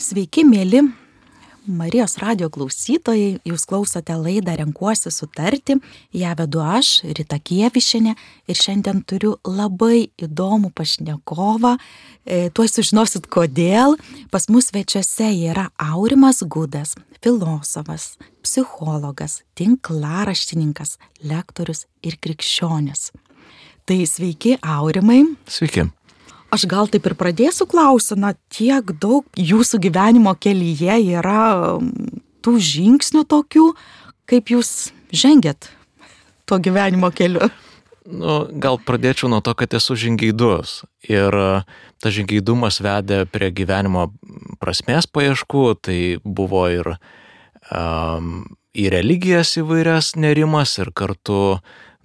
Sveiki, mėly Marijos radijo klausytojai, jūs klausote laidą Renkuosi sutarti, ją vedu aš, Rita Kievišienė, ir šiandien turiu labai įdomų pašnekovą, tuoj sužinosit kodėl. Pas mus svečiuose yra Aurimas Gudas, filosofas, psichologas, tinklaraštininkas, lektorius ir krikščionis. Tai sveiki, Aurimai. Sveiki. Aš gal taip ir pradėsiu klausimą, tiek daug jūsų gyvenimo kelyje yra tų žingsnių tokių, kaip jūs žengėt tuo gyvenimo keliu. Gal pradėčiau nuo to, kad esu žingeidus. Ir tas žingeidumas vedė prie gyvenimo prasmės paieškų, tai buvo ir į religijas įvairias nerimas ir kartu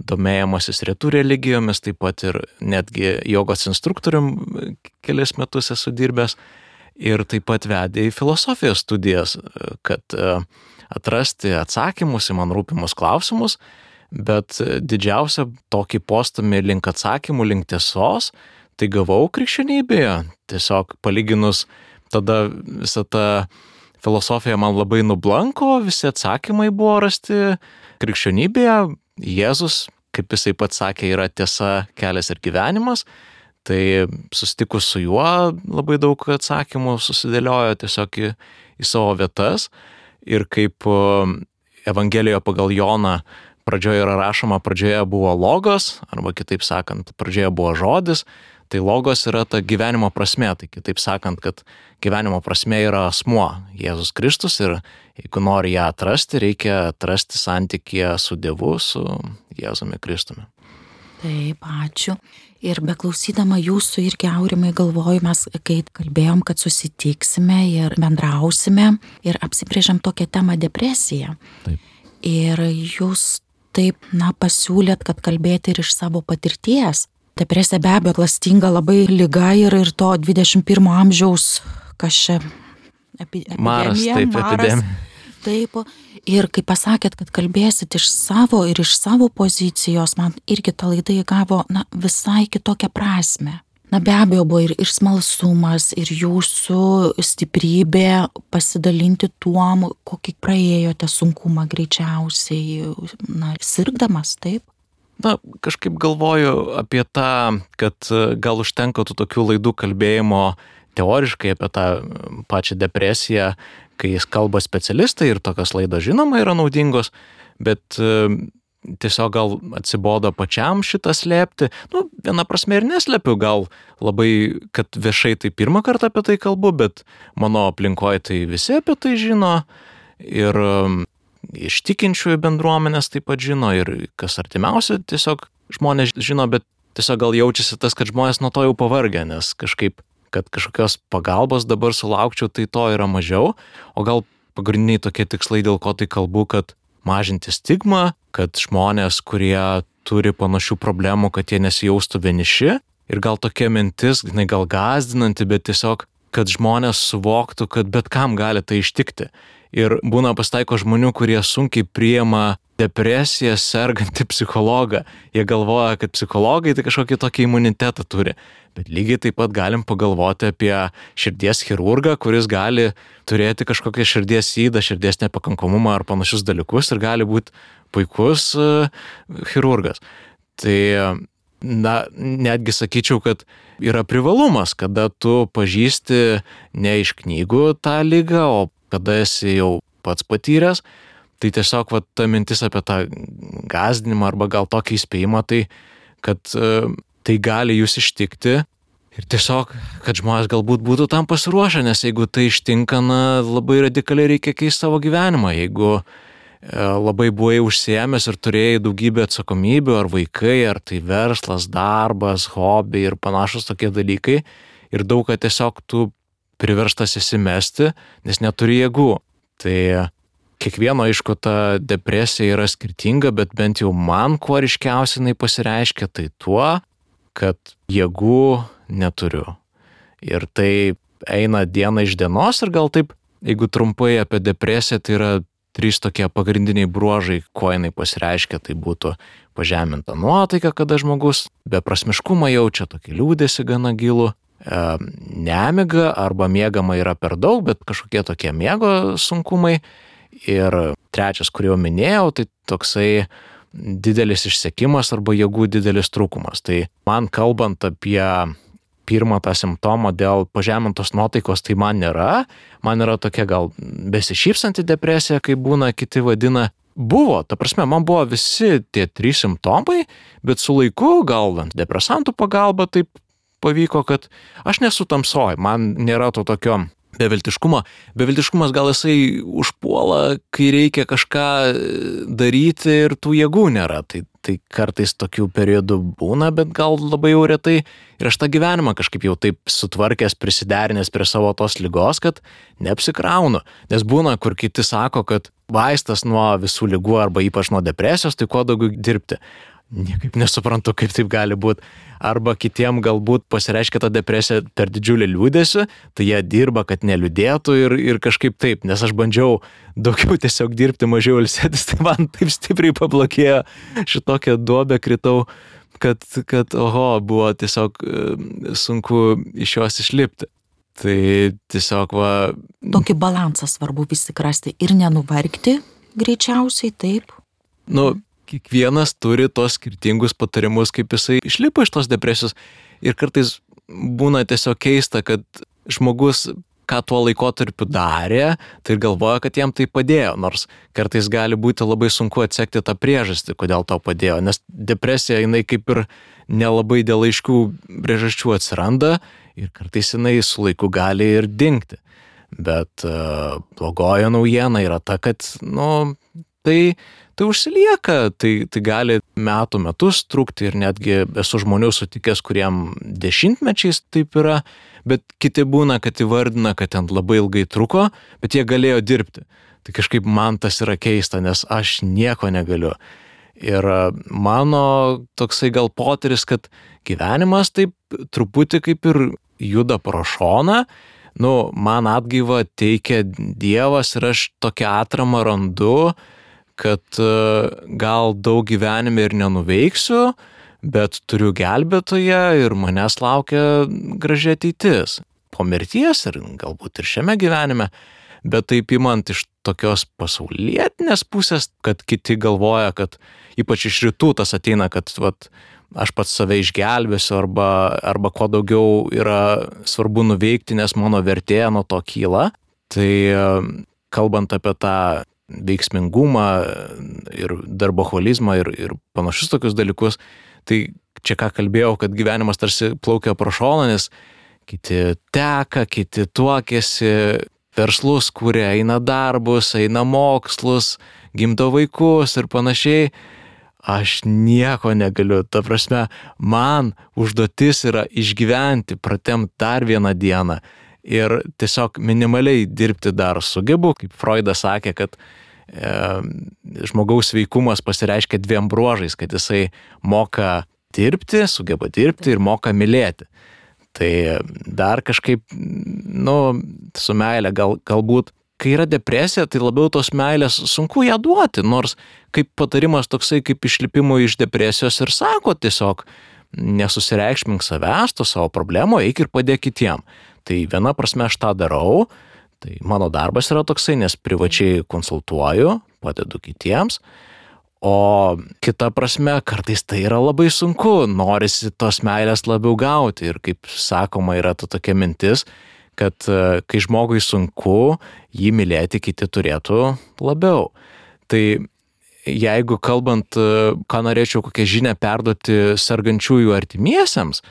domėjimasis rytų religijomis, taip pat ir netgi jogos instruktorium kelias metus esu dirbęs ir taip pat vedė į filosofijos studijas, kad atrasti atsakymus į man rūpimus klausimus, bet didžiausią tokį postumį link atsakymų, link tiesos, tai gavau krikščionybėje. Tiesiog palyginus tada visą tą filosofiją man labai nublanko, visi atsakymai buvo rasti krikščionybėje. Jėzus, kaip jisai pats sakė, yra tiesa, kelias ir gyvenimas, tai susitikus su juo labai daug atsakymų susidėliojo tiesiog į savo vietas ir kaip Evangelijoje pagal Joną pradžioje yra rašoma, pradžioje buvo logos, arba kitaip sakant, pradžioje buvo žodis, tai logos yra ta gyvenimo prasmė, tai kitaip sakant, kad gyvenimo prasmė yra asmuo, Jėzus Kristus, ir jeigu nori ją atrasti, reikia atrasti santykyje su Dievu, su Jėzumi Kristumi. Taip, ačiū. Ir beklausydama jūsų irgi, Aurimai, galvoju, mes kai kalbėjom, kad susitiksime ir bendrausime ir apsibrėžiam tokią temą depresiją. Taip. Ir jūs taip, pasiūlėt, kad kalbėti ir iš savo patirties. Depresija be abejo klastinga labai liga ir to 21 amžiaus, kas čia, epidemija. Epidemija. Taip, ir kai pasakėt, kad kalbėsit iš savo pozicijos, man irgi ta laida įgavo, visai kitokią prasmę. Be abejo buvo ir smalsumas, ir jūsų stiprybė pasidalinti tuom, kokį praėjote sunkumą greičiausiai, sirgdamas, taip? Kažkaip galvoju apie tą, kad gal užtenka tų tokių laidų kalbėjimo teoriškai apie tą pačią depresiją, kai kalba specialistai ir tokios laidos žinoma yra naudingos, bet tiesiog gal atsibodo pačiam šitą slėpti. Viena prasme ir neslepiu, gal labai, kad viešai tai pirmą kartą apie tai kalbu, bet mano aplinkoje tai visi apie tai žino ir iš tikinčiųjų bendruomenės taip pat žino ir kas artimiausia tiesiog žmonės žino, bet tiesiog gal jaučiasi tas, kad žmonės nuo to jau pavargę, nes kažkaip, kad kažkokios pagalbos dabar sulaukčiau, tai to yra mažiau, o gal pagrindiniai tokie tikslai, dėl ko tai kalbu, kad mažinti stigmą, kad žmonės, kurie turi panašių problemų, kad jie nesijaustų vieniši ir gal tokia mintis, gal gąsdinanti, bet tiesiog, kad žmonės suvoktų, kad bet kam gali tai ištikti. Ir būna pasitaiko žmonių, kurie sunkiai priima depresiją sergantį psichologą. Jie galvoja, kad psichologai tai kažkokį tokį imunitetą turi. Bet lygiai taip pat galim pagalvoti apie širdies chirurgą, kuris gali turėti kažkokią širdies ydą, širdies nepakankamumą ar panašius dalykus ir gali būti puikus chirurgas. Tai netgi sakyčiau, kad yra privalumas, kada tu pažįsti ne iš knygų tą ligą, o kada esi jau pats patyręs, tai tiesiog ta mintis apie tą gąsdinimą arba gal tokį įspėjimą, tai kad tai gali jūs ištikti ir tiesiog, kad žmonės galbūt būtų tam pasiruošę, nes jeigu tai ištinka, labai radikaliai reikia keisti savo gyvenimą. Jeigu labai buvai užsiėmęs ir turėjai daugybę atsakomybių, ar vaikai, ar tai verslas, darbas, hobiai ir panašus tokie dalykai, ir daug, kad tiesiog tu priverstas įsimesti, nes neturi jėgų. Tai kiekvieno, aišku, ta depresija yra skirtinga, bet bent jau man kuo ryškiausiai jinai pasireiškia, tai tuo, kad jėgų neturiu. Ir tai eina diena iš dienos ir gal taip, jeigu trumpai apie depresiją, tai yra 3 tokie pagrindiniai bruožai, kuo jinai pasireiškia, tai būtų pažeminta nuotaika, kada žmogus beprasmiškumą jaučia, tokį liūdesį gana gilų, nemiga arba miegama yra per daug, bet kažkokie tokie miego sunkumai. Ir trečias, kurį jau minėjau, tai toksai didelis išsekimas arba jėgų didelis trūkumas. Tai man kalbant apie pirmą tą simptomą dėl pažemintos nuotaikos, tai man nėra. Man yra tokia gal besišypsanti depresija, kaip būna kiti vadina. Buvo, ta prasme, man buvo visi tie 3 simptomai, bet su laiku, gal antidepresantų pagalba taip pavyko, kad aš nesu tamsoj, man nėra to tokio beviltiškumo. Beviltiškumas gal jisai užpuola, kai reikia kažką daryti ir tų jėgų nėra. Tai kartais tokių periodų būna, bet gal labai jau retai. Ir aš tą gyvenimą kažkaip jau taip sutvarkęs, prisiderinęs prie savo tos ligos, kad neapsikraunu. Nes būna, kur kiti sako, kad vaistas nuo visų ligų arba ypač nuo depresijos, tai kuo daugiau dirbti. Niekaip nesuprantu, kaip taip gali būti. Arba kitiem galbūt pasireiškia ta depresija per didžiulį liūdėsiu, tai jie dirba, kad neliūdėtų ir kažkaip taip, nes aš bandžiau daugiau tiesiog dirbti, mažiau ilsėtis, tai man taip stipriai pablokėjo, šitokią duobę kritau, kad buvo tiesiog sunku iš jos išlipti. Tai tiesiog Tokį balansą svarbu vis tik rasti ir nenuvargti greičiausiai, taip. Kiekvienas turi tos skirtingus patarimus, kaip jisai išlipa iš tos depresijos. Ir kartais būna tiesiog keista, kad žmogus, ką tuo laikotarpiu darė, tai galvoja, kad jam tai padėjo. Nors kartais gali būti labai sunku atsekti tą priežastį, kodėl tau padėjo. Nes depresija, jinai kaip ir nelabai dėl aiškių priežasčių atsiranda ir kartais jinai su laiku gali ir dingti. Bet blogoji naujiena yra ta, kad tai užsilieka, tai gali metus trukti ir netgi esu žmonių sutikęs, kuriem 10-mečiais taip yra, bet kiti būna, kad įvardina, kad ten labai ilgai truko, bet jie galėjo dirbti. Tai kažkaip man tas yra keista, nes aš nieko negaliu. Ir mano toksai gal potyris, kad gyvenimas taip truputį kaip ir juda pro šoną, man atgaivą teikia Dievas ir aš tokią atramą randu, kad gal daug gyvenime ir nenuveiksiu, bet turiu gelbėtoją ir manęs laukia graži ateitis. Po mirties ir galbūt ir šiame gyvenime, bet taip imant iš tokios pasaulietinės pusės, kad kiti galvoja, kad ypač iš rytų tas ateina, kad aš pats save išgelbėsiu arba kuo daugiau yra svarbu nuveikti, nes mano vertė nuo to kyla. Tai kalbant apie tą veiksmingumą ir darboholizmą ir panašius tokius dalykus, tai čia ką kalbėjau, kad gyvenimas tarsi plaukia pro šoną, nes kiti teka, kiti tuokėsi, verslus kuria, eina darbus, eina mokslus, gimdo vaikus ir panašiai. Aš nieko negaliu, ta prasme, man užduotis yra išgyventi, pratemti dar vieną dieną. Ir tiesiog minimaliai dirbti dar sugebu, kaip Freudas sakė, kad žmogaus veikumas pasireiškia 2 bruožais, kad jisai moka dirbti, sugeba dirbti ir moka mylėti. Tai dar kažkaip, su meilė galbūt, kai yra depresija, tai labiau tos meilės sunku ją duoti, nors kaip patarimas toksai kaip išlipimui iš depresijos ir sako tiesiog, nesusireikšmink savęs, to savo problemo, eik ir padėk kitiem. Tai viena prasme aš tą darau, tai mano darbas yra toksai, nes privačiai konsultuoju, padedu kitiems, o kita prasme kartais tai yra labai sunku, norisi tos meilės labiau gauti ir kaip sakoma yra ta tokia mintis, kad kai žmogui sunku, jį mylėti kiti turėtų labiau. Tai jeigu kalbant, ką norėčiau kokią žinią perduoti sergančiųjų artimiesiems,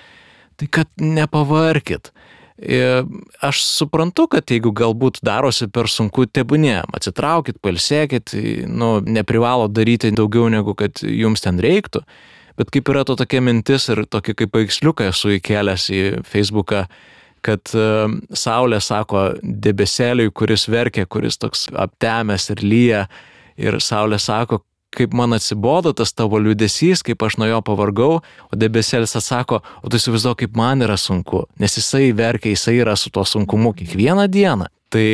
tai kad nepavarkit. Aš suprantu, kad jeigu galbūt darosi per sunku, tebūnie, atsitraukit, pailsėkit, neprivalo daryti daugiau negu kad jums ten reiktų, bet kaip yra to tokia mintis ir tokį kaip paveiksliuką esu įkėlęs į Facebooką, kad saulė sako debesėliui, kuris verkia, kuris toks aptemęs ir lyja, ir saulė sako, kaip man atsibodo tas tavo liūdesys, kaip aš nuo jo pavargau, o debesėlis atsako, o tu įsivaizduok, kaip man yra sunku, nes jisai verkia, jisai yra su tuo sunkumu kiekvieną dieną. Tai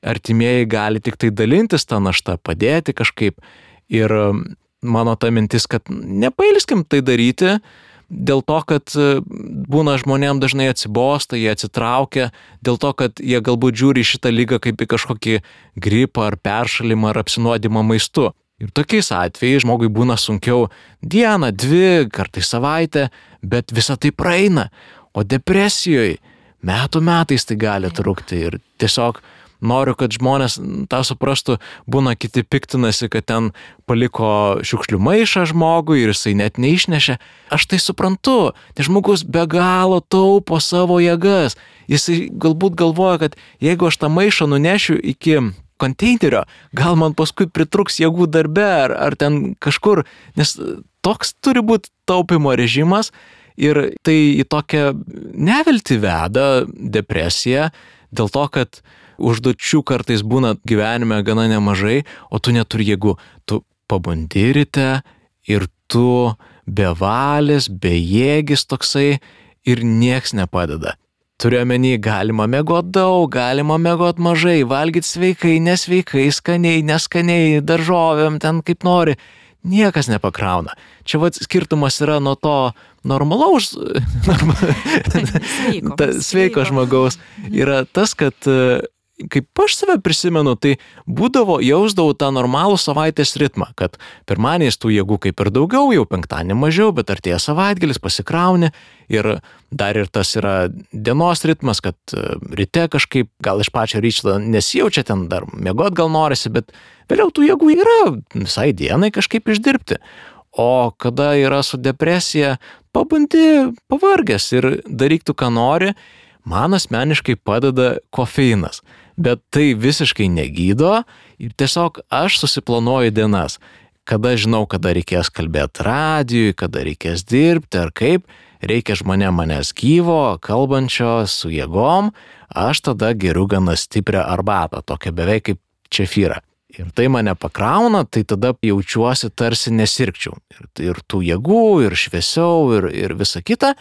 artimieji gali tik tai dalintis tą naštą, padėti kažkaip. Ir mano ta mintis, kad nepailskim tai daryti, dėl to, kad būna žmonėm dažnai atsibosta, jie atsitraukia, dėl to, kad jie galbūt žiūri šitą ligą kaip į kažkokį gripą ar peršalimą ar apsinuodimą maistu. Ir tokiais atvejais žmogui būna sunkiau dieną, 2, kartais savaitę, bet visa tai praeina. O depresijoje metais tai gali trukti ir tiesiog noriu, kad žmonės tą suprastų, būna kiti piktinasi, kad ten paliko šiukšlių maišą žmogui ir jisai net neišnešė. Aš tai suprantu, nes žmogus be galo taupo savo jėgas. Jisai galbūt galvoja, kad jeigu aš tą maišą nunešiu iki konteinerio, gal man paskui pritruks jėgų darbe ar ten kažkur, nes toks turi būti taupimo režimas ir tai į tokią neviltį veda depresiją dėl to, kad užduočių kartais būna gyvenime gana nemažai, o tu neturi jėgų. Tu pabundi ryte ir tu bevalis, bejėgis toksai ir nieks nepadeda. Turiu omeny, galima miegot daug, galima miegot mažai, valgyti sveikai, nesveikai, skaniai, neskaniai, daržovėm, ten kaip nori. Niekas nepakrauna. Čia skirtumas yra nuo to normalaus, sveiko žmogaus. Yra tas, kad kaip aš save prisimenu, tai jausdavau tą normalų savaitės ritmą, kad pirmadieniais tų jėgų kaip ir daugiau, jau penktadienį mažiau, bet artėja savaitgalis, pasikrauni ir dar ir tas yra dienos ritmas, kad ryte kažkaip gal iš pačio ryčio nesijaučia, ten dar miegot gal norisi, bet vėliau tų jėgų yra visai dienai kažkaip išdirbti. O kada yra su depresija, pabundi pavargęs ir daryk tu, ką nori, man asmeniškai padeda kofeinas. Bet tai visiškai negydo ir tiesiog aš susiplanuoju dienas, kada žinau, kada reikės kalbėti radijui, kada reikės dirbti ar kaip, reikia žmonėm manęs gyvo, kalbančio su jėgom, aš tada geriu gana stiprią arbatą, tokią beveik kaip čefyrą. Ir tai mane pakrauna, tai tada jaučiuosi tarsi nesirgčiau. Ir tų jėgų, ir šviesiau, ir visa kita,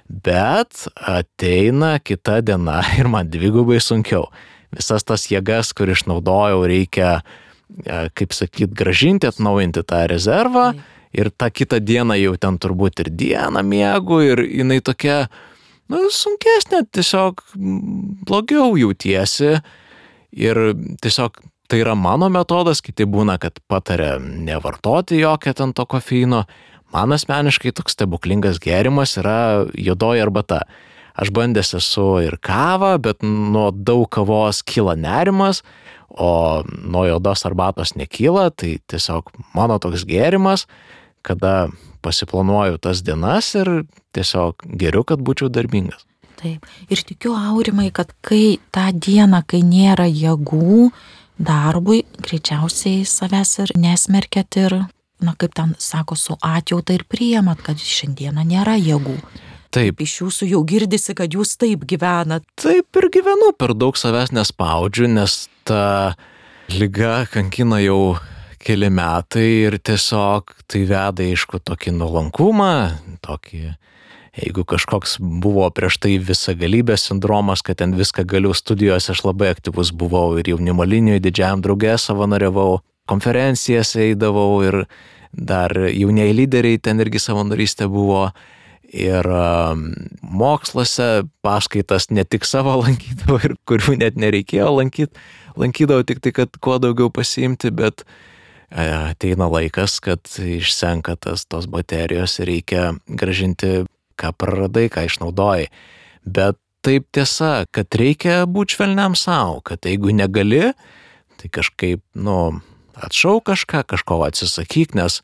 bet ateina kita diena ir man dvigubai sunkiau. Visas tas jėgas, kur išnaudojau, reikia, kaip sakyt, gražinti, atnaujinti tą rezervą ir tą kitą dieną jau ten turbūt ir dieną miegu ir jinai tokia, sunkesnė, tiesiog blogiau jautiesi ir tiesiog tai yra mano metodas, kiti būna, kad pataria nevartoti jokio ten to kofeino. Man asmeniškai toks stebuklingas gėrimas yra juodoji arbata. Aš bandęs esu ir kavą, bet nuo daug kavos kyla nerimas, o nuo juodos arbatos nekyla, tai tiesiog mano toks gėrimas, kada pasiplanuoju tas dienas ir tiesiog geriu, kad būčiau darbingas. Taip, ir tikiu, Aurimai, kad kai tą dieną, kai nėra jėgų darbui, greičiausiai savęs ir nesmerkėt ir, kaip ten sako, su atjauta ir priimat, kad šiandieną nėra jėgų. Taip. Iš jūsų jau girdisi, kad jūs taip gyvenat. Taip ir gyvenu, per daug savęs nespaudžiu, nes ta liga kankina jau keli metai ir tiesiog tai veda aišku tokį nuolankumą, tokį, jeigu kažkoks buvo prieš tai visagalybės sindromas, kad ten viską galiu studijose, aš labai aktyvus buvau ir jaunimo linijoje didžiajam drauge savanoriavau, konferencijas eidavau ir dar jaunieji lyderiai ten irgi savanorystė buvo. Ir moksluose paskaitas ne tik savo lankydavau ir kurių net nereikėjo lankyti, lankydavau tik tai, kad kuo daugiau pasiimti, bet ateina laikas, kad išsenka tos baterijos ir reikia gražinti, ką praradai, ką išnaudojai. Bet taip tiesa, kad reikia būti švelniam savo, kad jeigu negali, tai kažkaip, atšauk kažko atsisakyk, nes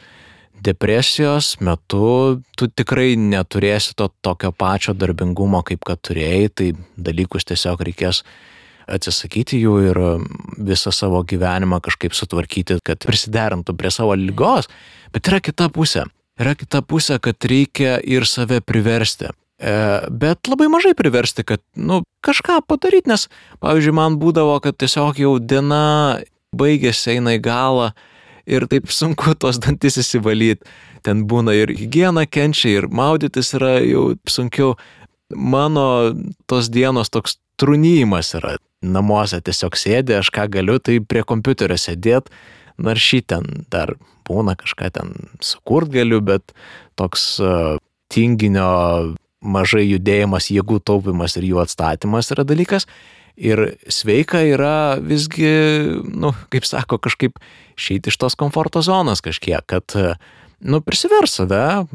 depresijos metu tu tikrai neturėsi to tokio pačio darbingumo, kaip kad turėjai, tai dalykus tiesiog reikės atsisakyti jų ir visą savo gyvenimą kažkaip sutvarkyti, kad prisiderintų prie savo ligos. Bet yra kita pusė. Yra kita pusė, kad reikia ir save priversti. Bet labai mažai priversti, kad kažką padaryti, nes, pavyzdžiui, man būdavo, kad tiesiog jau diena baigėsi, eina į galą, ir taip sunku tos dantis įsivalyti. Ten būna ir higiena kenčia, ir maudytis yra jau sunkiau. Mano tos dienos toks trūnyjimas yra. Namuose tiesiog sėdė, aš ką galiu, tai prie kompiuterio sėdėt, naršyti ten dar būna kažką ten sukurt galiu, bet toks tinginio mažai judėjimas, jėgų taupimas ir jų atstatymas yra dalykas. Ir sveika yra visgi, kaip sako, kažkaip išeiti iš tos komforto zonos kažkiek, kad, prisivers save.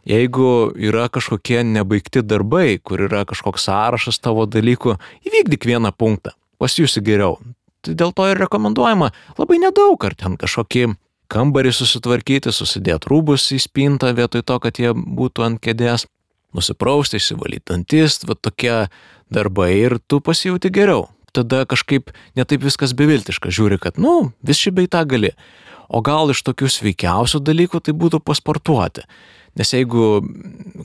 Jeigu yra kažkokie nebaigti darbai, kur yra kažkoks sąrašas tavo dalykų, įvykdyk vieną punktą, pasijusi geriau. Tai dėl to ir rekomenduojama labai nedaug, ar ten kažkokį kambarį susitvarkyti, susidėti rūbus į spintą vietoj to, kad jie būtų ant kėdės, nusiprausti, išsivalyti dantis, va tokie darbai ir tu pasijauti geriau. Tada kažkaip netaip viskas beviltiška, žiūri, kad, vis šį bei tą gali. O gal iš tokių sveikiausių dalykų tai būtų pasportuoti. Nes jeigu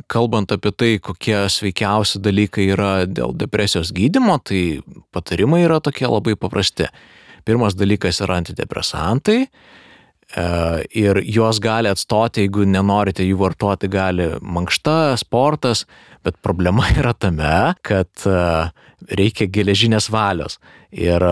kalbant apie tai, kokie sveikiausi dalykai yra dėl depresijos gydymo, tai patarimai yra tokie labai paprasti. Pirmas dalykas yra antidepresantai ir juos gali atstoti, jeigu nenorite jų vartoti, gali mankšta, sportas, bet problema yra tame, kad reikia geležinės valios. Ir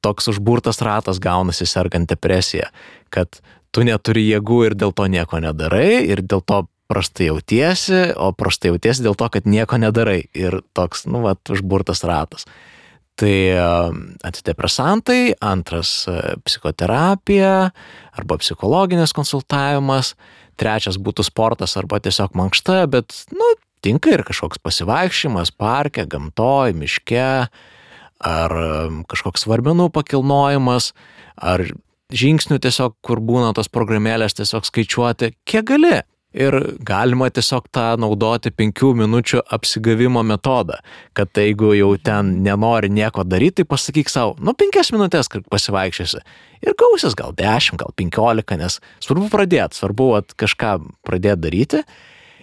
toks užburtas ratas gaunasi sergant depresiją, kad tu neturi jėgų ir dėl to nieko nedarai, ir dėl to prastai jautiesi, o prastai jautiesi dėl to, kad nieko nedarai. Ir toks, užburtas ratas. Tai antidepresantai, antras psichoterapija arba psichologinis konsultavimas, trečias būtų sportas arba tiesiog mankšta, bet, tinka ir kažkoks pasivaikščiojimas parke, gamtoj, miške, ar kažkoks svarmenų pakilnojimas, ar žingsnių tiesiog, kur būna tos programėlės tiesiog skaičiuoti, kiek gali. Ir galima tiesiog tą naudoti 5 minučių apsigavimo metodą, kad jeigu jau ten nenori nieko daryti, tai pasakyk savo, 5 minutės, kad pasivaikščiosi. Ir gausis gal 10, gal 15, nes svarbu pradėti, svarbu kažką pradėti daryti.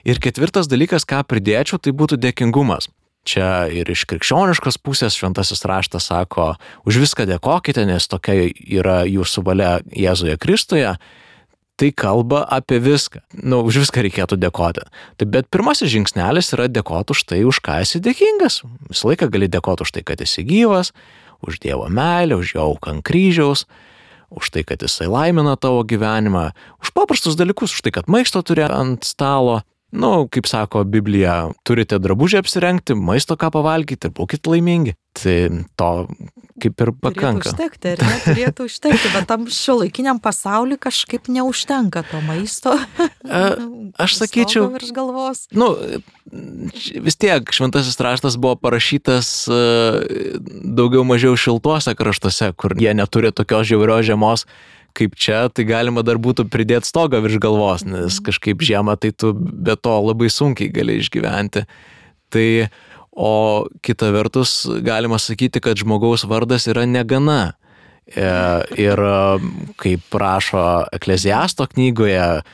Ir ketvirtas dalykas, ką pridėčiau, tai būtų dėkingumas. Čia ir iš krikščioniškos pusės šventasis raštas sako, už viską dėkokite, nes tokia yra jūsų valia Jėzuje Kristuje. Tai kalba apie viską. Už viską reikėtų dėkoti. Bet pirmasis žingsnelis yra dėkoti už tai, už ką esi dėkingas. Visą laiką gali dėkoti už tai, kad esi gyvas, už Dievo meilę, už jo auką ant kryžiaus, už tai, kad jisai laimina tavo gyvenimą, už paprastus dalykus, už tai, kad maisto turi ant stalo. Kaip sako Biblija, turite drabužį apsirengti, maisto ką pavalgyti ir būkite laimingi. Tai to kaip ir pakanka. Turėtų užtekti, bet tam šiuolaikiniam pasauliu kažkaip neužtenka to maisto. Aš sakyčiau, virš galvos. Vis tiek šventasis raštas buvo parašytas daugiau mažiau šiltuose kraštuose, kur jie neturi tokios žiaurios žiemos kaip čia, tai galima dar būtų pridėti stogą virš galvos, nes kažkaip žiemą tai tu be to labai sunkiai gali išgyventi. Tai, o kita vertus, galima sakyti, kad žmogaus vardas yra negana. Ir kaip rašo Ekleziasto knygoje,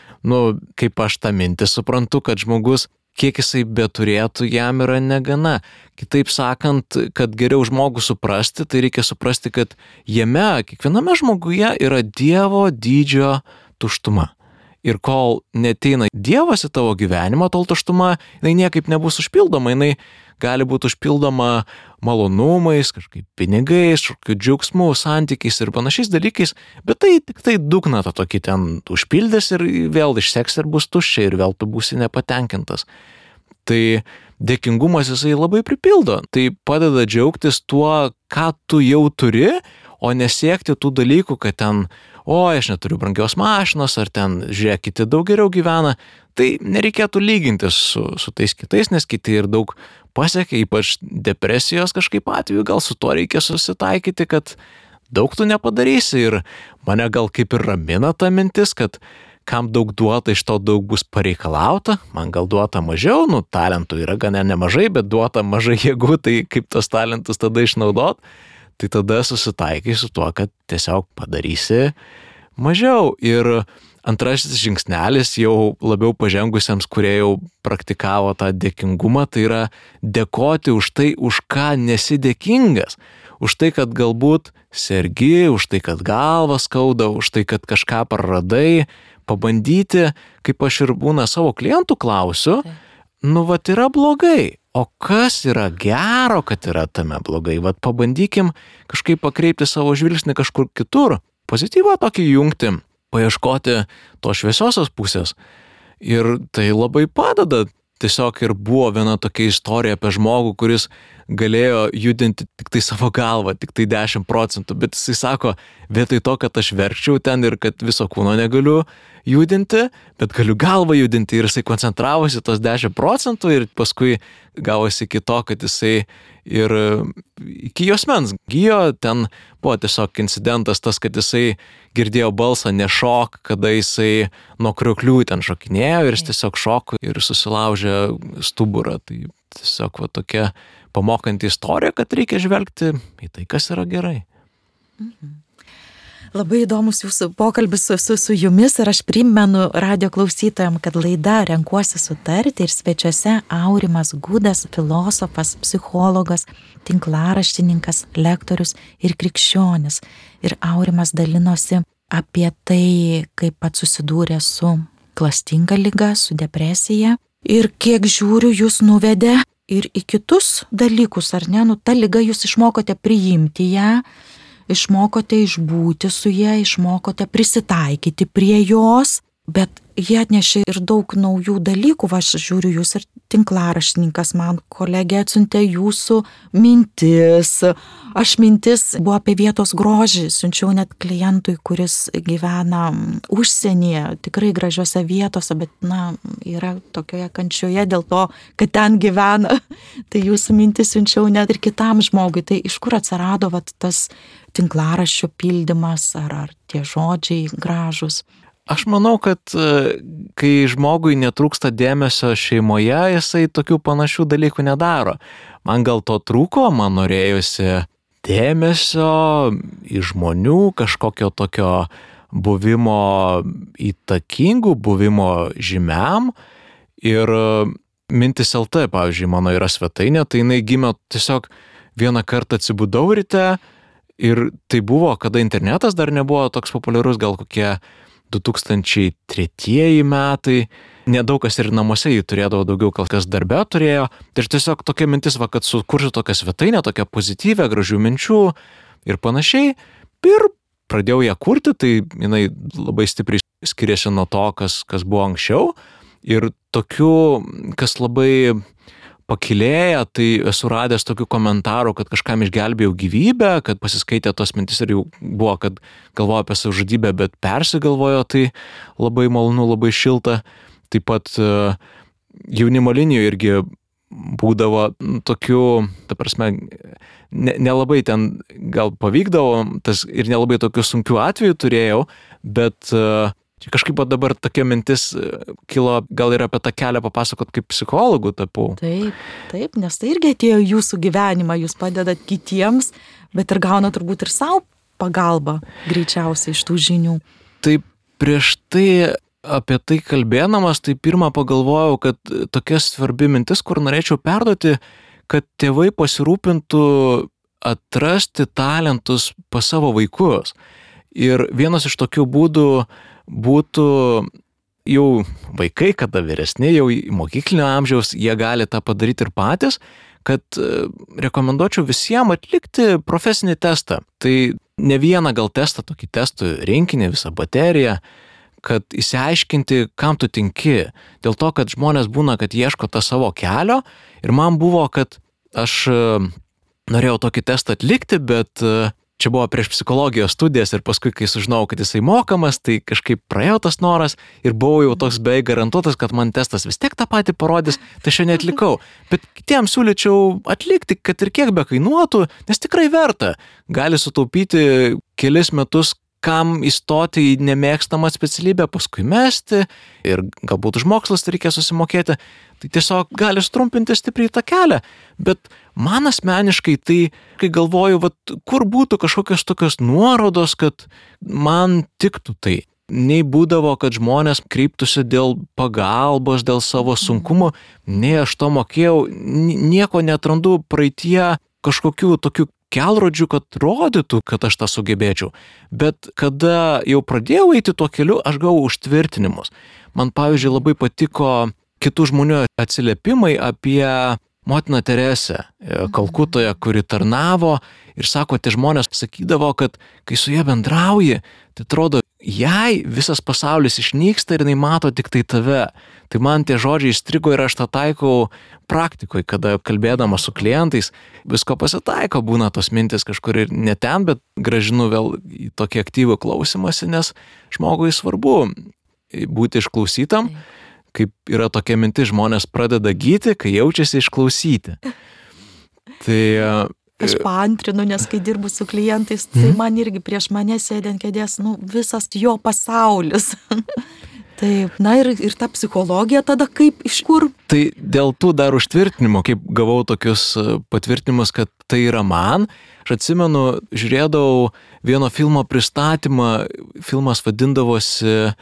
kaip aš tą mintį suprantu, kad žmogus, kiek jisai beturėtų, jam yra negana. Kitaip sakant, kad geriau žmogų suprasti, tai reikia suprasti, kad jame, kiekviename žmoguje yra Dievo dydžio tuštuma. Ir kol neteina Dievas į tavo gyvenimą, tol tuštuma, jinai niekaip nebus užpildoma, jinai gali būti užpildoma malonumais, kažkaip pinigais, džiaugsmu, santykiais ir panašiais dalykais, bet tai tik tai dugną tą tokį ten užpildys ir vėl išseks ir bus tuščia ir vėl tu būsi nepatenkintas. Tai dėkingumas jisai labai pripildo, tai padeda džiaugtis tuo, ką tu jau turi, o nesiekti tų dalykų, kad ten, aš neturiu brangios mašinos, ar ten, žiūrėk, kiti daug geriau gyvena. Tai nereikėtų lygintis su tais kitais, nes kiti ir daug pasiekia, ypač depresijos kažkaip atveju, gal su to reikia susitaikyti, kad daug tu nepadarysi. Ir mane gal kaip ir ramina ta mintis, kad kam daug duota, iš to daug bus pareikalauta, man gal duota mažiau, talentų yra gana nemažai, bet duota mažai jėgų, tai kaip tos talentus tada išnaudot. Tai tada susitaikai su tuo, kad tiesiog padarysi mažiau. Ir antrasis žingsnelis jau labiau pažengusiems, kurie jau praktikavo tą dėkingumą, tai yra dėkoti už tai, už ką nesi dėkingas. Už tai, kad galbūt sergi, už tai, kad galva skauda, už tai, kad kažką praradai, pabandyti, kaip aš ir būna savo klientų klausiu, yra blogai. O kas yra gero, kad yra tame blogai? Pabandykim kažkaip pakreipti savo žvilgsnį kažkur kitur, pozityvą tokį jungti, paieškoti to šviesiosios pusės. Ir tai labai padeda. Tiesiog ir buvo viena tokia istorija apie žmogų, kuris galėjo judinti tik tai savo galvą, tik tai 10%, bet jisai sako, vietoj to, kad aš verkčiau ten ir kad viso kūno negaliu judinti, bet galiu galvą judinti ir jisai koncentravosi tos 10% ir paskui gavosi iki to, kad jisai ir iki juosmens gijo, ten buvo tiesiog incidentas tas, kad jisai girdėjo balsą nešok, kada jisai nuo krioklių ten šokinėjo ir jis tiesiog šoko ir susilaužė stuburą. Tai tiesiog va tokia pamokanti istorija, kad reikia žvelgti į tai, kas yra gerai. Labai įdomus jūsų pokalbis su jumis ir aš primenu radio klausytojams, kad laida Renkuosi sutarti ir svečiuose Aurimas Gudas, filosofas, psichologas, tinklaraštininkas, lektorius ir krikščionis. Ir Aurimas dalinosi apie tai, kaip pats susidūrė su klastinga liga, su depresija ir kiek žiūriu jūs nuvedė ir į kitus dalykus, ar ne? Ta liga jūs išmokote priimti ją, išmokote išbūti su ja, išmokote prisitaikyti prie jos, bet jie atnešė ir daug naujų dalykų. Aš žiūriu, jūs ir tinklaraštininkas, man kolegė atsiuntė jūsų mintis. Aš mintis buvo apie vietos grožį, siunčiau net klientui, kuris gyvena užsienyje, tikrai gražiose vietose, bet yra tokioje kančioje dėl to, kad ten gyvena. Tai jūsų mintis siunčiau net ir kitam žmogui. Tai iš kur atsirado tas tinklaraščio pildymas ar tie žodžiai gražus? Aš manau, kad kai žmogui netrūksta dėmesio šeimoje, jisai tokių panašių dalykų nedaro. Man gal to trūko, man norėjusi dėmesio į žmonių, kažkokio tokio buvimo įtakingų, buvimo žymiam. Ir Mintis LT, pavyzdžiui, mano yra svetainė, tai jinai gimė tiesiog vieną kartą atsibudau ryte ir tai buvo, kada internetas dar nebuvo toks populiarus, gal kokie 2003 metai, nedaug kas ir namuose jį turėdavo, daugiau kas darbe turėjo. Tai tiesiog tokia mintis, kad sukursiu tokią svetainę, tokią pozityvę, gražių minčių ir panašiai. Ir pradėjau ją kurti, tai jinai labai stipriai skiriasi nuo to, kas buvo anksčiau. Ir tokių, kas labai pakilėja, tai esu radęs tokių komentarų, kad kažkam išgelbėjau gyvybę, kad pasiskaitė tos mintis ir jau buvo, kad galvojo apie savižudybę, bet persigalvojo, tai labai malonu, labai šilta. Taip pat jaunimo linijoje irgi būdavo tokių, ta prasme, nelabai ten gal pavykdavo, tas ir nelabai tokių sunkių atvejų turėjau, bet kažkaip dabar tokia mintis kilo, gal ir apie tą kelią papasakot, kaip psichologų tapau. Taip, nes tai irgi atėjo jūsų gyvenimą, jūs padedat kitiems, bet ir gauna turbūt ir savo pagalbą greičiausiai iš tų žinių. Taip, prieš tai apie tai kalbėdamas, tai pirmą pagalvojau, kad tokia svarbi mintis, kur norėčiau perduoti, kad tėvai pasirūpintų atrasti talentus pas savo vaikus. Ir vienas iš tokių būdų būtų jau vaikai, kada vyresni, jau mokyklinio amžiaus, jie gali tą padaryti ir patys, kad rekomenduočiau visiems atlikti profesinį testą. Tai ne vieną gal testą, tokį testų rinkinį, visą bateriją, kad išsiaiškinti, kam tu tinki. Dėl to, kad žmonės būna, kad ieško tą savo kelio ir man buvo, kad aš norėjau tokį testą atlikti, bet čia buvo prieš psichologijos studijas ir paskui, kai sužinojau, kad jisai mokamas, tai kažkaip praėjo tas noras ir buvau jau toks beveik garantuotas, kad man testas vis tiek tą patį parodys, tai aš jo neatlikau. Bet kitiems siūlyčiau atlikti, kad ir kiek be kainuotų, nes tikrai verta. Gali sutaupyti kelis metus, kam įstoti į nemėgstamą specialybę, paskui mesti ir galbūt už mokslus reikia susimokėti. Tai tiesiog gali strumpinti stipriai tą kelią. Bet man asmeniškai tai, kai galvoju, kur būtų kažkokios tokios nuorodos, kad man tiktų tai. Nei būdavo, kad žmonės kreiptųsi dėl pagalbos, dėl savo sunkumų, nei aš to mokėjau, nieko netrandu praeitie kažkokių tokių kelrodžių, kad rodytų, kad aš tą sugebėčiau. Bet kada jau pradėjau eiti tuo keliu, aš gavau užtvirtinimus. Man, pavyzdžiui, labai patiko kitų žmonių atsiliepimai apie motiną Teresę Kalkutoje, kuri tarnavo ir sako, tie žmonės sakydavo, kad kai su ja bendrauji, tai atrodo, jai visas pasaulis išnyksta ir jinai mato tik tai tave. Tai man tie žodžiai įstrigo ir aš tą taikau praktikoje, kada kalbėdama su klientais, visko pasitaiko, būna tos mintis kažkur ir ne ten, bet grąžinu vėl į tokį aktyvų klausimąsi, nes žmogui svarbu būti išklausytam, kaip yra tokia mintis, žmonės pradeda gyti, kai jaučiasi išklausyti. Tai aš paantrinu, nes kai dirbu su klientais, tai man irgi prieš mane sėdint kėdės, visas jo pasaulis. Taip, ir ta psichologija tada kaip, iš kur? Tai dėl tų dar užtvirtinimo, kaip gavau tokius patvirtinimus, kad tai yra man, aš atsimenu, žiūrėdavau vieno filmo pristatymą, filmas vadindavosi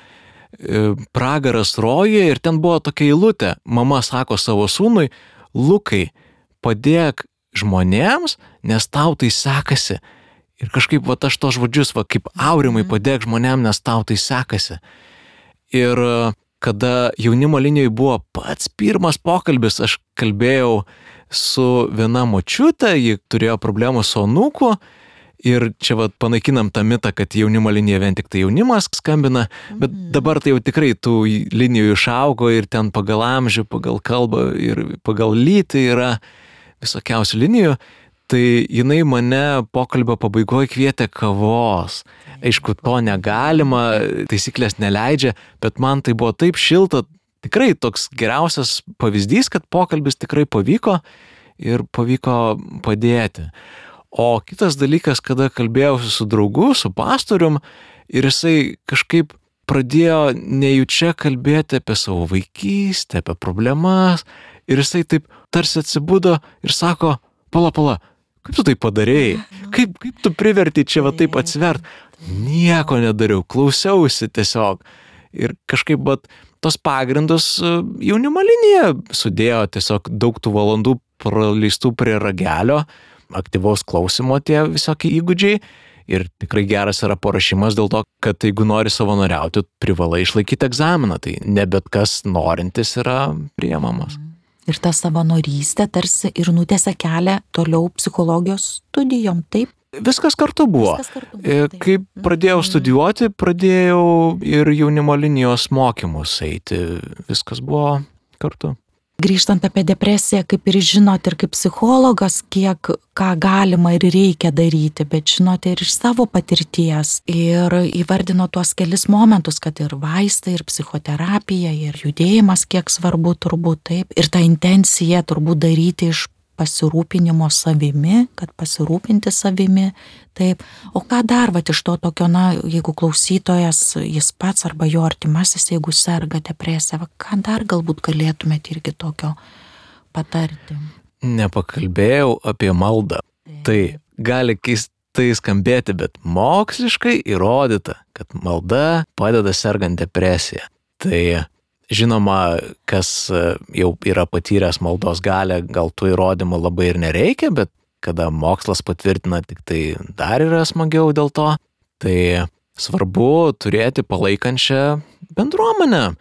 Pragaras rojuje ir ten buvo tokia eilutė, mama sako savo sūnui, Lukai, padėk žmonėms, nes tau tai sekasi. Ir kažkaip aš tos žodžius, kaip Aurimai, padėk žmonėms, nes tau tai sekasi. Ir kada jaunimo linijoje buvo pats pirmas pokalbis, aš kalbėjau su viena močiutė, ji turėjo problemų su anūku ir čia panaikinam tą mitą, kad jaunimo linija vien tik tai jaunimas skambina, bet dabar tai jau tikrai tų linijų išaugo ir ten pagal amžių, pagal kalbą ir pagal lytį yra visokiausių linijų, tai jinai mane pokalbio pabaigoje kvietė kavos. Aišku, to negalima, taisyklės neleidžia, bet man tai buvo taip šilta, tikrai toks geriausias pavyzdys, kad pokalbis tikrai pavyko ir pavyko padėti. O kitas dalykas, kada kalbėjausi su draugu, su pastorium ir jisai kažkaip pradėjo nejučia kalbėti apie savo vaikystę, apie problemas ir jisai taip tarsi atsibudo ir sako, pala, kaip tu tai padarėjai? Kaip tu priverti čia taip atsivert? Nieko nedariau, klausiausi tiesiog. Ir kažkaip tos pagrindus jaunimo linija sudėjo tiesiog daug tų valandų praleistų prie ragelio, aktyvaus klausimo tie visokie įgūdžiai. Ir tikrai geras yra parašymas dėl to, kad jeigu nori savanoriauti, privalai išlaikyti egzaminą. Tai ne bet kas norintis yra priimamas. Ir ta savanorystė tarsi ir nutėsia kelią toliau psichologijos studijom, taip? Viskas kartu buvo. Kai pradėjau studijuoti, pradėjau ir jaunimo linijos mokymus eiti. Viskas buvo kartu. Grįžtant apie depresiją, kaip ir žinot, ir kaip psichologas, ką galima ir reikia daryti, bet žinote ir iš savo patirties. Ir įvardino tuos kelis momentus, kad ir vaistai, ir psichoterapija, ir judėjimas, kiek svarbu turbūt taip. Ir ta intencija turbūt daryti iš pasirūpinimo savimi, kad pasirūpinti savimi, taip. O ką dar iš to tokio, jeigu klausytojas, jis pats arba jo artimasis, jeigu serga depresija, ką dar galbūt galėtumėte irgi tokio patarti? Nepakalbėjau apie maldą. Tai gali keistai skambėti, bet moksliškai įrodyta, kad malda padeda sergant depresiją. Tai žinoma, kas jau yra patyręs maldos galią, gal tų įrodymų labai ir nereikia, bet kada mokslas patvirtina, tik tai dar yra smagiau dėl to. Tai svarbu turėti palaikančią bendruomenę,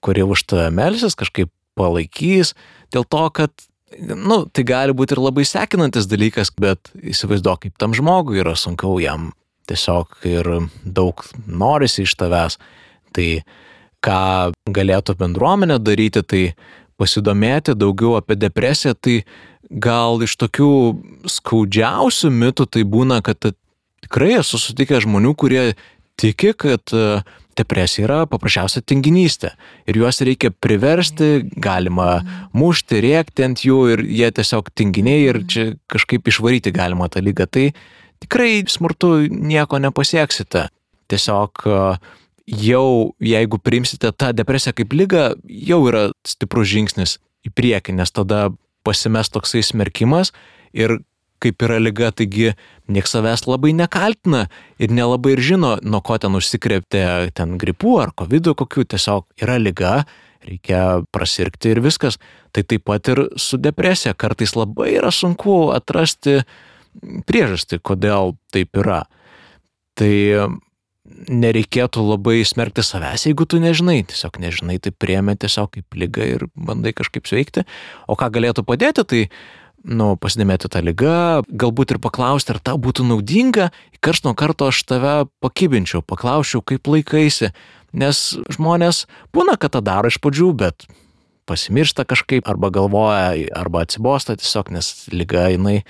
kuri už tave melsis, kažkaip palaikys, dėl to, kad tai gali būti ir labai sekinantis dalykas, bet įsivaizduok, kaip tam žmogui yra sunkiau, jam tiesiog ir daug norisi iš tavęs. Tai ką galėtų bendruomenė daryti, tai pasidomėti daugiau apie depresiją, tai gal iš tokių skaudžiausių mitų tai būna, kad tikrai esu sutikęs žmonių, kurie tiki, kad depresija yra paprasčiausia tinginystė ir juos reikia priversti, galima mušti, rėkti ant jų ir jie tiesiog tinginiai ir čia kažkaip išvaryti galima tą ligą. Tai tikrai smurtu nieko nepasieksite. Tiesiog jau jeigu priimsite tą depresiją kaip ligą, jau yra stiprus žingsnis į priekį, nes tada pasimes toksai smerkimas ir kaip yra liga, taigi nieks savęs labai nekaltina ir nelabai ir žino, nuo ko ten užsikrėpti, ten gripų ar covidų kokių, tiesiog yra liga, reikia prasirgti ir viskas. Tai taip pat ir su depresija, kartais labai yra sunku atrasti priežastį, kodėl taip yra. Tai nereikėtų labai smerkti savęs, jeigu tu nežinai, tiesiog nežinai, tai priėmė tiesiog kaip ligą ir bandai kažkaip sveikti. O ką galėtų padėti, tai pasidomėti tą ligą, galbūt ir paklausti, ar tau būtų naudinga, karts nuo karto aš tave pakibinčiau, paklausčiau, kaip laikaisi, nes žmonės būna, kad tą daro iš pradžių, bet pasimiršta kažkaip, arba galvoja, arba atsibosta tiesiog, nes liga jinai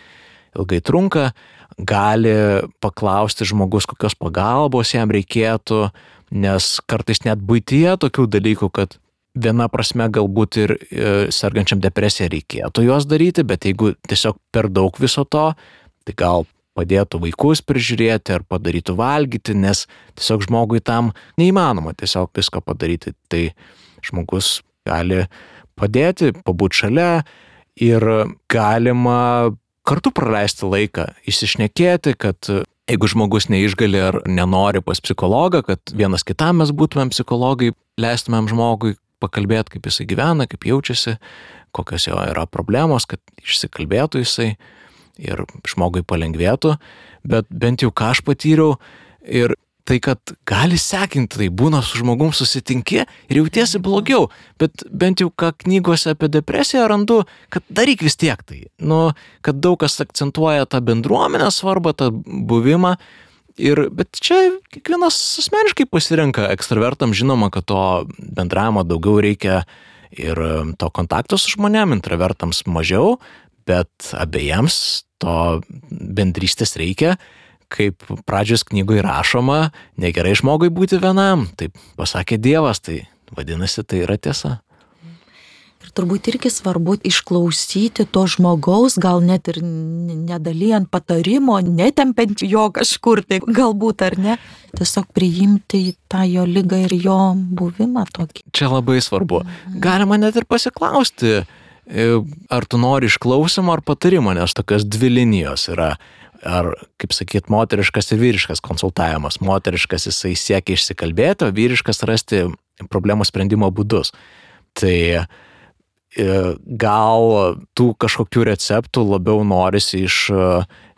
ilgai trunka, gali paklausti žmogus, kokios pagalbos jam reikėtų, nes kartais net buityje tokių dalykų, kad viena prasme galbūt ir sergančiam depresija reikėtų juos daryti, bet jeigu tiesiog per daug viso to, tai gal padėtų vaikus prižiūrėti ar padarytų valgyti, nes tiesiog žmogui tam neįmanoma tiesiog visko padaryti. Tai žmogus gali padėti, pabūti šalia ir galima kartu praleisti laiką, išsišnekėti, kad jeigu žmogus neišgali ar nenori pas psichologą, kad vienas kitam mes būtumėm psichologai, leistumėm žmogui pakalbėti, kaip jisai gyvena, kaip jaučiasi, kokios jo yra problemos, kad išsikalbėtų jisai ir žmogui palengvėtų, bet bent jau ką aš patyriau ir tai, kad gali sekinti, tai būna su žmogum susitinki ir jautiesi blogiau, bet bent jau ką knygose apie depresiją randu, kad daryk vis tiek tai, kad daug kas akcentuoja tą bendruomenės svarbą, tą buvimą. Bet čia kiekvienas asmeniškai pasirenka, ekstravertam žinoma, kad to bendravimo daugiau reikia ir to kontakto su žmonėm, intravertams mažiau, bet abiejams to bendrystės reikia, kaip pradžios knygoje rašoma, negerai žmogui būti vienam, taip pasakė Dievas, tai vadinasi, tai yra tiesa. Ir turbūt irgi svarbu išklausyti to žmogaus, gal net ir nedalijant patarimo, netempiant jo kažkur, tai galbūt ar ne, tiesiog priimti tą jo ligą ir jo buvimą tokį. Čia labai svarbu. Galima net ir pasiklausti, ar tu nori išklausimo ar patarimo, nes tokios dvi linijos yra. Ar, kaip sakyt, moteriškas ir vyriškas konsultavimas. Moteriškas jisai siekia išsikalbėti, o vyriškas rasti problemų sprendimo būdus. Tai gal tų kažkokių receptų labiau norisi iš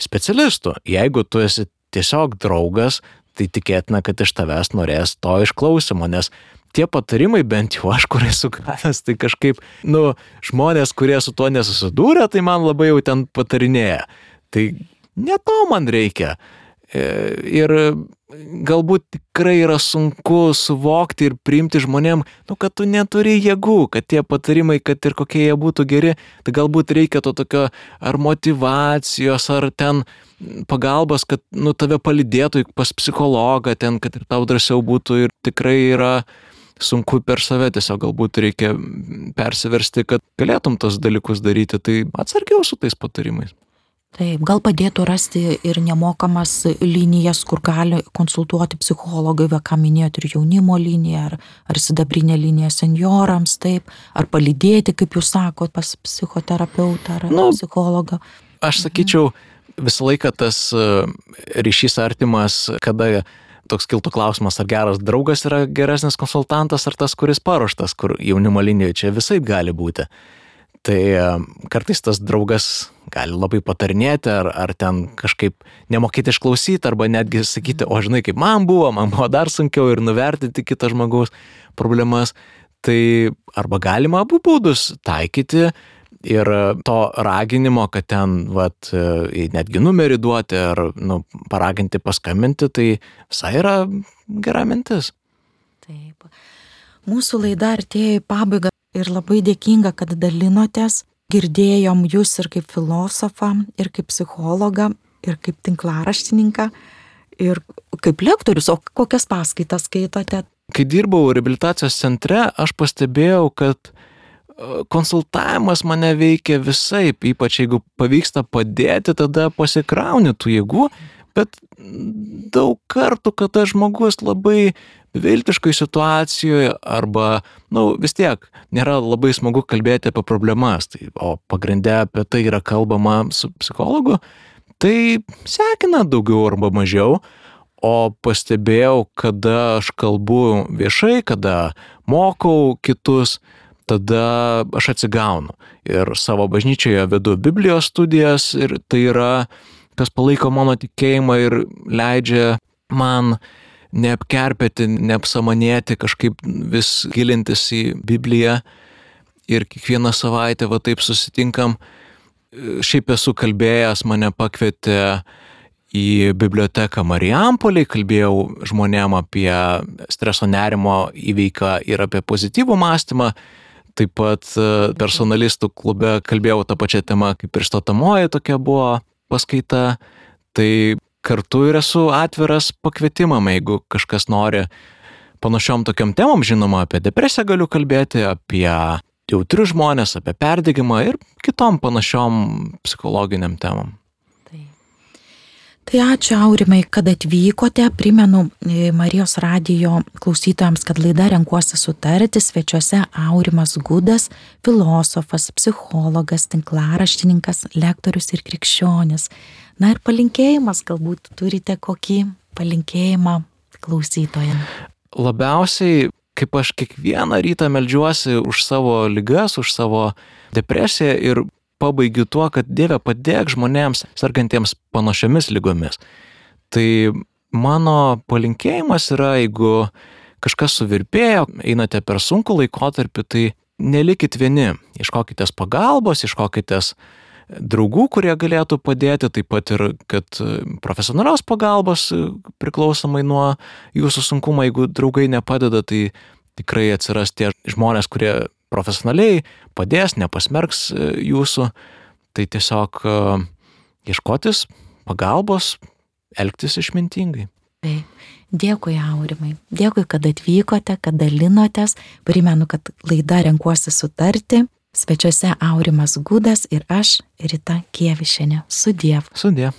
specialistų. Jeigu tu esi tiesiog draugas, tai tikėtina, kad iš tavęs norės to išklausimo, nes tie patarimai, bent jau aš, kur esu gavęs, tai kažkaip, žmonės, kurie su tuo nesusidūrė, tai man labai jau ten patarinėja. Tai ne to man reikia. Ir galbūt tikrai yra sunku suvokti ir priimti žmonėm, kad tu neturi jėgų, kad tie patarimai, kad ir kokie jie būtų geri, tai galbūt reikia to tokio ar motyvacijos, ar ten pagalbos, kad tave palydėtų pas psichologą ten, kad ir tau drąsiau būtų ir tikrai yra sunku per save, tiesiog galbūt reikia persiversti, kad galėtum tos dalykus daryti, tai atsargiau su tais patarimais. Taip, gal padėtų rasti ir nemokamas linijas, kur gali konsultuoti psichologai, ką minėjot, ir jaunimo liniją, ar sidabrinė linija senjorams, taip, ar palydėti, kaip jūs sakot, pas psichoterapeutą ar psichologą. Aš sakyčiau, visą laiką tas ryšys artimas, kada toks kiltų klausimas, ar geras draugas yra geresnis konsultantas, ar tas, kuris paruoštas, kur jaunimo linijoje, čia visaip gali būti. Tai kartais tas draugas gali labai patarinėti, ar ten kažkaip nemokėti išklausyti, arba netgi sakyti, o žinai, kaip man buvo dar sunkiau ir nuvertinti kito žmogaus problemas. Tai arba galima abu būdus taikyti ir to raginimo, kad ten netgi numerį duoti ar paraginti paskambinti, tai visai yra gera mintis. Taip. Mūsų laida artėja į pabaigą. Ir labai dėkinga, kad dalinotės, girdėjom jūs ir kaip filosofą, ir kaip psichologą, ir kaip tinklaraštininką, ir kaip lektorius, o kokias paskaitas skaitote? Kai dirbau reabilitacijos centre, aš pastebėjau, kad konsultavimas mane veikia visaip, ypač jeigu pavyksta padėti, tada pasikrauni tų jėgų, bet daug kartų, kada žmogus labai beviltiškoj situacijoje arba, vis tiek nėra labai smagu kalbėti apie problemas, o pagrinde apie tai yra kalbama su psichologu, tai sekina daugiau arba mažiau, o pastebėjau, kada aš kalbu viešai, kada mokau kitus, tada aš atsigaunu. Ir savo bažnyčioje vedu Biblijos studijas ir tai yra, kas palaiko mano tikėjimą ir leidžia man neapkerpėti, neapsamanėti, kažkaip vis gilintis į Bibliją ir kiekvieną savaitę taip susitinkam. šiaip esu kalbėjęs, mane pakvietė į biblioteką Marijampolėj, kalbėjau žmonėm apie streso nerimo įveiką ir apie pozityvų mąstymą. Taip pat personalistų klube kalbėjau tą pačią temą, kaip ir statomoji tokia buvo paskaita. Tai kartu ir esu atviras pakvietimam, jeigu kažkas nori panašiom tokiom temom, žinoma, apie depresiją galiu kalbėti, apie jautrius žmonės, apie perdegimą ir kitom panašiom psichologiniam temom. Tai ačiū, Aurimai, kad atvykote. Primenu Marijos radijo klausytojams, kad laida Renkuosi sutarti, svečiuose Aurimas Gudas, filosofas, psichologas, tinklaraštininkas, lektorius ir krikščionis. Na ir palinkėjimas, galbūt turite kokį palinkėjimą klausytojams. Labiausiai, kaip aš kiekvieną rytą meldžiuosi už savo ligas, už savo depresiją ir pabaigiu tuo, kad Dieve padėk žmonėms sergantiems panašiomis lygomis. Tai mano palinkėjimas yra, jeigu kažkas suvirpėjo, einate per sunkų laikotarpį, tai nelikit vieni, ieškokitės pagalbos, ieškokitės draugų, kurie galėtų padėti, taip pat ir kad profesionalios pagalbos priklausomai nuo jūsų sunkumo, jeigu draugai nepadeda, tai tikrai atsiras tie žmonės, kurie profesionaliai padės, nepasmerks jūsų, tai tiesiog ieškotis pagalbos, elgtis išmintingai. Dėkui, Aurimai. Dėkui, kad atvykote, kad dalinotės. Primenu, kad laida Renkuosi sutarti. Svečiuose Aurimas Gudas ir aš, Rita Kievišienė. Sudiev. Sudiev.